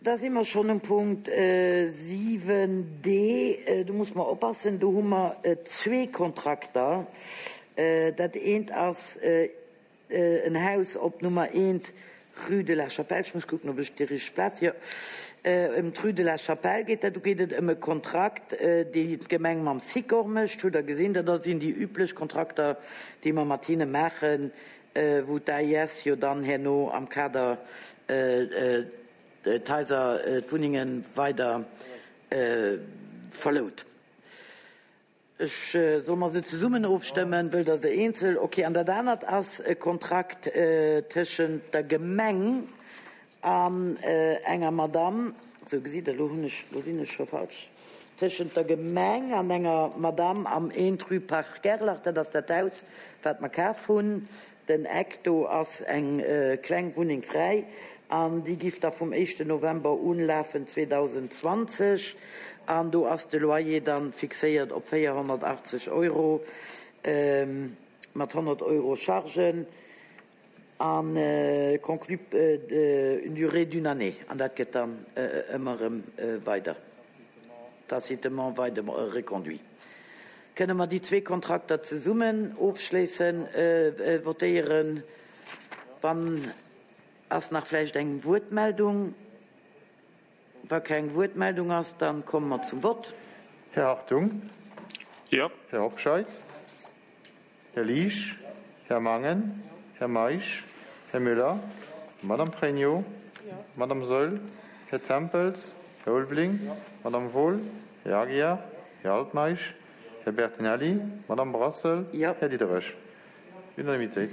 Da si mer schonn um Punkt 7d. Do muss mer oppassen, do hu mer zwee Kontrakter. Dat eent ass en Haus op Nummer 1, rue de la Chapelle. Ech muss kucken, ob ech déi richteg Plaz, jo, ëm d'rue de la Chapelle geet dat. Do geet et ëm e Kontrakt, dee d'Gemeng mam Sikor mécht. Hutt Der gesinn, dat sinn déi üblech Kontrakter, déi mer mat hinne maachen, wou d'AIS jo dann herno am Kader d'Haiser, d'Wunnenge weider verlout. Ech, solle mer se zesummen ofstëmmen? Wëllt Der se eenzel? Okay. An dat anert ass e Kontrakt tëschent der Gemeng an enger Madamm, sou gesitt Der, elo hunn ech, elo sinn ech scho falsch, tëschent der Gemeng an enger Madamm am 1 rue Parc Gerlach, dat ass dat Haus, wat mer kaf hunn, Den Eck, do ass eng kleng Wunneng fräi an déi giff da vum éischten November un lafen 2020 an do ass de Loyer dann fixéiert op 480 Euro mat 100 Euro Chargen an conclu une durée d'une année an dat gëtt dann ëmmer erëm weider tacitement weider reconduit. Kënne mer déi zwee Kontrakter zesummen ofschléissen, votéieren? Wann, ass nach vläicht eng Wuertmeldung? Wa keng Wuertmeldung ass, da komme mer zum Vott. Här Hartung? Jo. Här Hobscheit? Här Liesch? Här Mangen? Här Meisch? Här Müller? Madame Pregno? Madame Saeul? Här Tempels? Här Ulveling? Madame Wohl? Här Aguiar? Här Altmeisch? Här Bertinelli? Madame Brassel? Jo. Här Diderich? Unanimitéit.